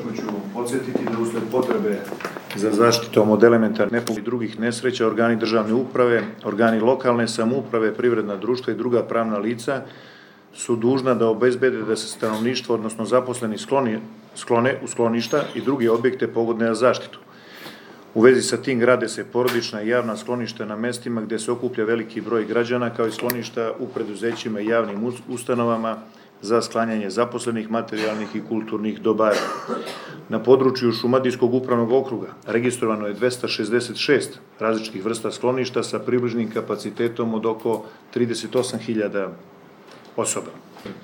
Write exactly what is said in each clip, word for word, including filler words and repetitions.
ukratko ću podsjetiti da usled potrebe za zaštitom od elementarnih nepogoda i drugih nesreća organi državne uprave, organi lokalne samouprave, privredna društva i druga pravna lica su dužna da obezbede da se stanovništvo, odnosno zaposleni skloni, sklone u skloništa i druge objekte pogodne za zaštitu. U vezi sa tim grade se porodična i javna skloništa na mestima gde se okuplja veliki broj građana, kao i skloništa u preduzećima i javnim ustanovama za sklanjanje zaposlenih, materijalnih i kulturnih dobara. Na području Šumadijskog upravnog okruga registrovano je dvesta šezdeset šest različitih vrsta skloništa sa približnim kapacitetom od oko trideset osam hiljada osoba.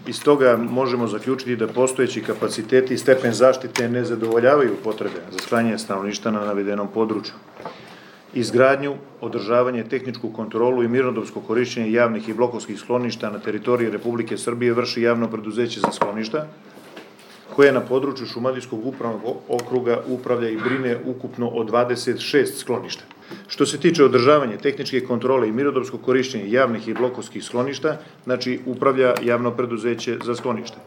Iz toga možemo zaključiti da postojeći kapaciteti i stepen zaštite ne zadovoljavaju potrebe za sklanjanje stanovništva na navedenom području. Izgradnju, održavanje, tehničku kontrolu i mirnodopsko korišćenje javnih i blokovskih skloništa na teritoriji Republike Srbije vrši javno preduzeće za skloništa, koje na području Šumadijskog upravnog okruga upravlja i brine ukupno o dvadeset šest skloništa. Što se tiče održavanja, tehničke kontrole i mirnodopsko korišćenje javnih i blokovskih skloništa, znači upravlja javno preduzeće za sklonište.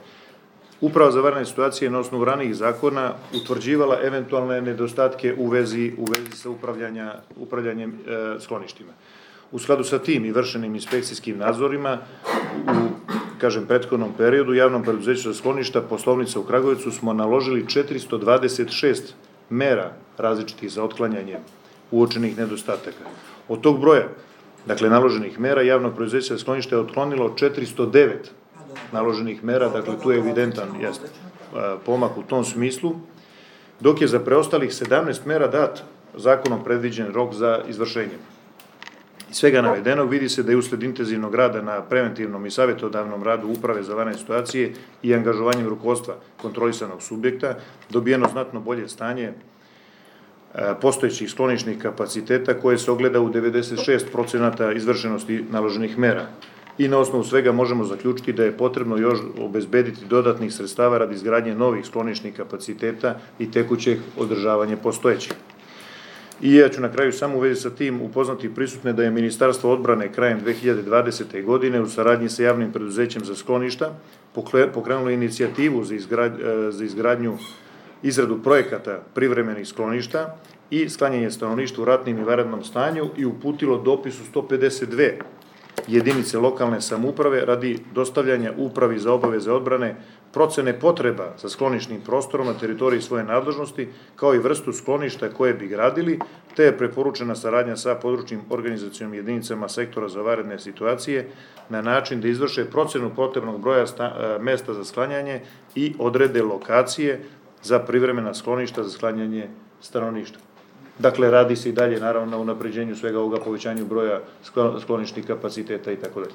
Uprava za vanredne situacije na osnovu ranijih zakona utvrđivala eventualne nedostatke u vezi, u vezi sa upravljanja, upravljanjem e, skloništima. U skladu sa tim i vršenim inspekcijskim nadzorima u, kažem, prethodnom periodu javnom preduzeću za skloništa Poslovnica u Kragujevcu smo naložili četiristo dvadeset šest mera različitih za otklanjanje uočenih nedostataka. Od tog broja, dakle, naloženih mera, javno preduzeće za sklonište je otklonilo četiristo devet naloženih mera, dakle, tu je evidentan jeste, pomak u tom smislu, dok je za preostalih sedamnaest mera dat zakonom predviđen rok za izvršenje. Iz svega navedenog vidi se da je usled intenzivnog rada na preventivnom i savjetodavnom radu Uprave za vanredne situacije i angažovanjem rukovodstva kontrolisanog subjekta dobijeno znatno bolje stanje postojećih sklonišnih kapaciteta koje se ogleda u devedeset šest procenata izvršenosti naloženih mera. I na osnovu svega možemo zaključiti da je potrebno još obezbediti dodatnih sredstava radi izgradnje novih sklonišnih kapaciteta i tekućeg održavanja postojećih. I ja ću na kraju samo u vezi sa tim upoznati prisutne da je Ministarstvo odbrane krajem dve hiljade dvadesete. godine u saradnji sa javnim preduzećem za skloništa pokrenulo inicijativu za izgradnju izradu projekata privremenih skloništa i sklanjanje stanovništva u ratnim i vanrednom stanju i uputilo dopis u sto pedeset dve jedinice lokalne samouprave radi dostavljanja Upravi za obaveze odbrane procene potreba za sklonišnim prostorom na teritoriji svoje nadležnosti, kao i vrstu skloništa koje bi gradili, te je preporučena saradnja sa područnim organizacionim jedinicama sektora za vanredne situacije na način da izvrše procenu potrebnog broja mesta za sklanjanje i odrede lokacije za privremena skloništa za sklanjanje stanovništva. Dakle, radi se i dalje, naravno, na unapređenju svega ovoga, povećanju broja sklonišnih kapaciteta i tako dalje.